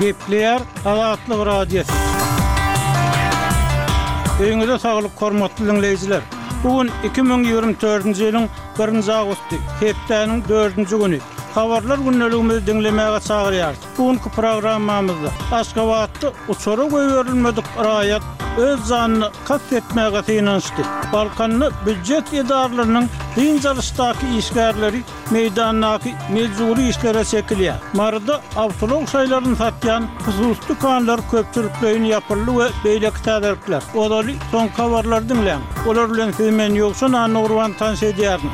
Gepleýär Azatlyk Radiosy. Öýüňize saglyk hormatly diňleýjiler. Bu gün 2024-nji ýylyň birinji awgusty, hepdäniň dördünji güni. Habarlar gündeligimizi diňlemäge çagyrýarys. Bu günki programmamyzda Aşgabatda uçara goýberilmedik raýat öz janyna kast etmäge synanyşdy. Balkanda býujet edaralarynyň dynç alyşdaky işgärleri meýdandaky mejbury işlere çekilýär. Maryda awtoulag şaýlaryny satýan hususy dükanlar köpçülikleýin ýapyldy we beýleki täzelikler. Ozaly soňky habarlary diňläň. Olar bilen sizi men Ýowşan Annagurban tanyş edýärin.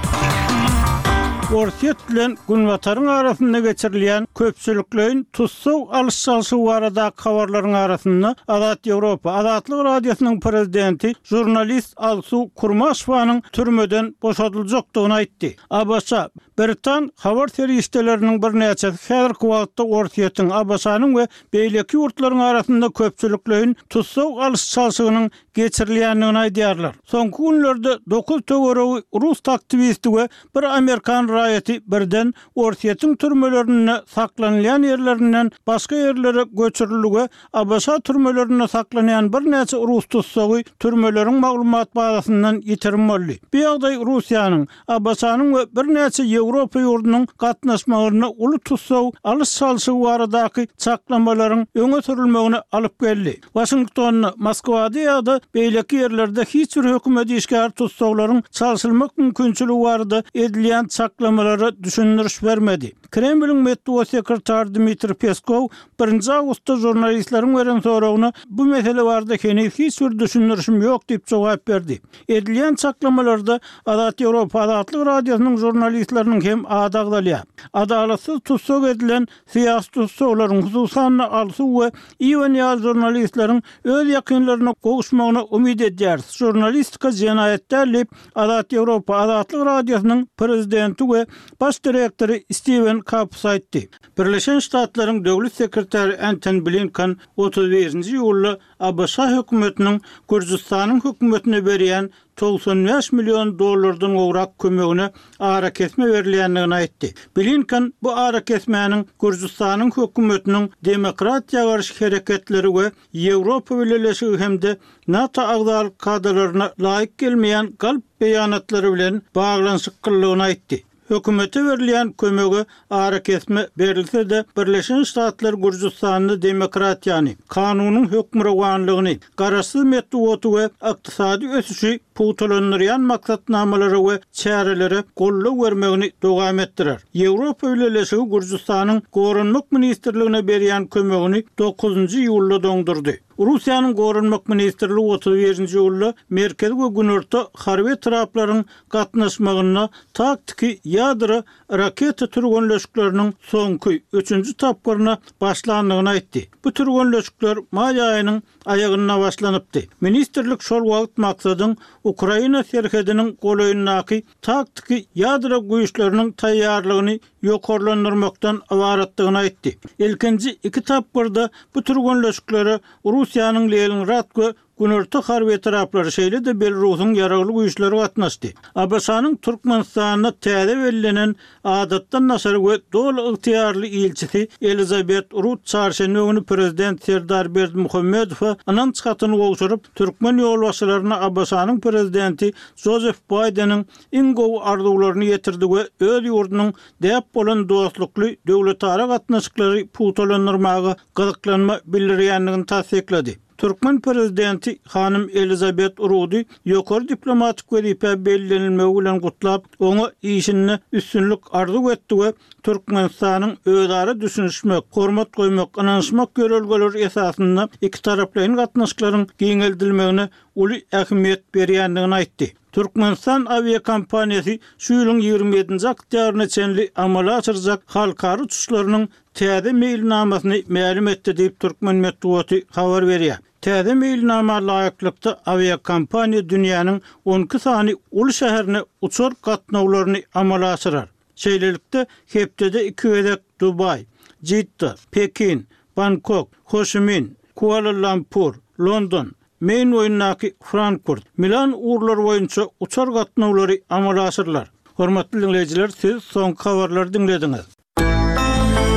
Orsýet bilen Günbataryň arasynda geçirilýän köpçülikleýin tussag alyş-çalşygy baradaky habarlaryň arasynda Azat Ýewropa, Azatlyk Radiosynyň prezidenti, žurnalist Alsu Kurmaşewanyň türmeden boşadyljakdygyny aýtdy. ABŞ, Britan habar serişdeleriniň birnäçesi häzirki wagtda Orsýetiň, ABŞ-nyň we beýleki ýurtlaryň arasynda köpçülikleýin tussag alyş-çalşygynyň geçirilýändigini aýdýarlar. Soňky günlerde dokuz töweregi rus aktiwisti we bir amerikan raýaty birden Orsýetiň türmelerinde saklanylýan ýerlerinden başga ýerlere göçürildi we ABŞ türmelerinde saklanýan birnäçe rus tussagy türmeleriň maglumat bazasyndan ýitirim boldy. Bu ýagdaý Russiýanyň, ABŞ-nyň we birnäçe Ýewropa ýurdunyň gatnaşmagynda uly tussag alyş-çalşygy baradaky çaklamalaryň öňe sürülmegine alyp geldi. Waşingtonda, Moskwada ýa-da beýleki ýerlerde hiç bir hökümet işgäri tussaglaryň çalşylmak mümkinçiligi barada edilýän çaklamalara düşündiriş bermedi. Kremliň metbugat sekretary Dmitriý Peskow birinji awgustda žurnalistleriň beren soragyna bu mesele barada heniz hiç bir düşündirişim ýok diýip jogap berdi. Edilýän çaklamalarda Azat Ýewropa Azatlyk Radiosynyň žurnalistleriniň hem ady agzalýar. Adalatsyz tussag edilen syýasy tussaglaryň, hususan-da Alsu we Iwan ýaly žurnalistleriň öz ýakynlaryna gowuşmagyna umyt edýäris. Žurnalistika jenaýat däl diýip, Azat Ýewropa Azatlyk Radiosynyň prezidenti we baş direktory Stiwen Kapus aýtdy. Birleşen Ştatlaryň Döwlet sekretary Entoni Blinken 31-nji iýulda ABŞ hökümetiniň Gürjüstanyň hökümetine berýän 95 million dollardan gowrak kömegine arakesme berilýändigini aýtdy. Blinken bu arakesmäniň Gürjüstanyň hökümetiniň demokratiýa garşy hereketleri we Ýewropa Bileleşigi hem-de NATO agzalyk kadalaryna laýyk gelmeýän galp beýanatlary bilen baglanyşyklydygyny aýtdy. Hökümete berilýän kömege arakesme berilse-de, Birleşen Ştatlar Gürjüstanda demokratiýany, kanunyň hökmürowanlygyny, garaşsyz metbugaty we ykdysady ösüşi pugtalandyrýan maksatnamalara we çärelere goldaw bermegini dowam etdirer. Ýewropa Bileleşigi Gürjüstanyň Goranmak ministrligine berýän kömegini dokuzynjy iýulda doňdurdy. Russiýanyň Goranmak ministrligi 31-nji iýulda Merkezi we Günorta harby etraplaryň gatnaşmagynda taktiki ýadro raketa türgenleşikleriniň soňky, üçünji tapgyryna başlandygyny aýtdy. Bu türgenleşikler maý aýynyň aýagynda başlanypdy. Ministrlik şol wagt maksadyň Ukraina serhediniň golaýyndaky taktiki ýadro güýçleriniň taýýarlygyny ýokarlandyrmakdan ybaratdygyny aýtdy. Ilkinji iki tapgyrda bu türgenleşiklere Russiýanyň Leningrad we Günorta harby etraplary, şeýle-de Belarusyň ýaragly güýçleri gatnaşdy. ABŞ-nyň Türkmenistanda täze bellenen Adatdan daşary we doly ygtyýarly ilçisi Elizabet Rut çarşenbe güni prezident Serdar Berdimuhamedowa ynanç hatyny gowşuryp, türkmen ýolbaşçylaryna ABŞ-nyň prezidenti Jozef Baýdeniň iň gowy arzuwlaryny ýetirdi we öz ýurdunyň däp bolan dostlukly döwletara gatnaşyklary pugtalandyrmaga gyzyklanma bildirýändigini tassyklady. Türkmen prezidenti hanym Elizabet Rudy ýokary diplomatik wezipä bellenilmegi bilen gutlap, oňa işinde üstünlik arzuw etdi we Türkmenistanyň özara düşünişmek, hormat goýmak, ynanyşmak ýörelgeleri esasynda ikitaraplaýyn gatnaşyklaryň giňeldilmegine uly ähmiýet berýändigini aýtdy. Türkmenistan awiakompaniýasy şu ýylyň 27-nji oktýabryna çenli amala aşyrjak halkara uçuşlarynyň täze meýilnamasyny mälim etdi diýip, türkmen metbugaty habar berýär. Täze meýilnama laýyklykda, awiakompaniýa dünýäniň 12 sany uly şäherine uçar gatnawlaryny amala aşyrar. Şeýlelikde, hepdede iki gezek Dubaý, Jidda, Pekin, Bangkok, Hoşimin, Kuala-Lumpur, London, Meýn boýundaky Frankfurt, Milan ugurlary boýunça uçar gatnawlary amala aşyrylar. Hormatly diňleýjiler, siz soňky habarlary diňlediňiz.